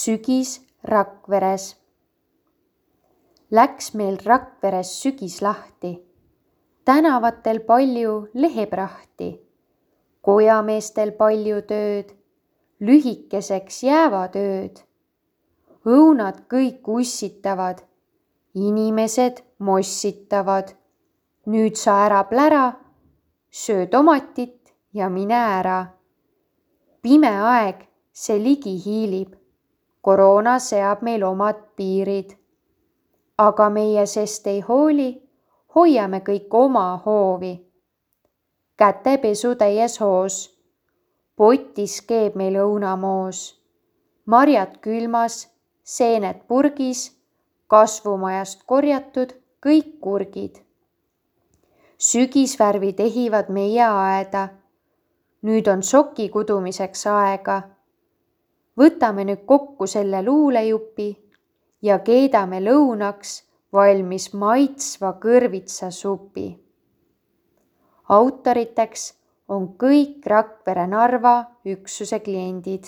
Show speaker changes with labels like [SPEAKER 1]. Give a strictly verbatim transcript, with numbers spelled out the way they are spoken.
[SPEAKER 1] Sügis Rakveres. Läks meil Rakveres sügis lahti, tänavatel palju leheprahti, kojameestel palju tööd, lühikeseks jäävad ööd. Õunad kõik ussitavad, inimesed mossitavad. Nüüd sa ära plära, söö tomatit ja mine ära. Pime aeg, see ligi hiilib, koroona seab meil omad piirid. Aga meie sest ei hooli, hoiame kõik oma hoovi. Kätepesu täies hoos, potis keeb meil õunamoos, marjad külmas, seened purgis, kasvumajast korjatud kõik kurgid. Sügisvärvid ehivad meie aeda, nüüd on soki kudumiseks aega. Võtame nüüd kokku selle luulejupi ja keedame lõunaks valmis maitsva kõrvitsa supi. Autoriteks on kõik Rakvere Narva üksuse kliendid.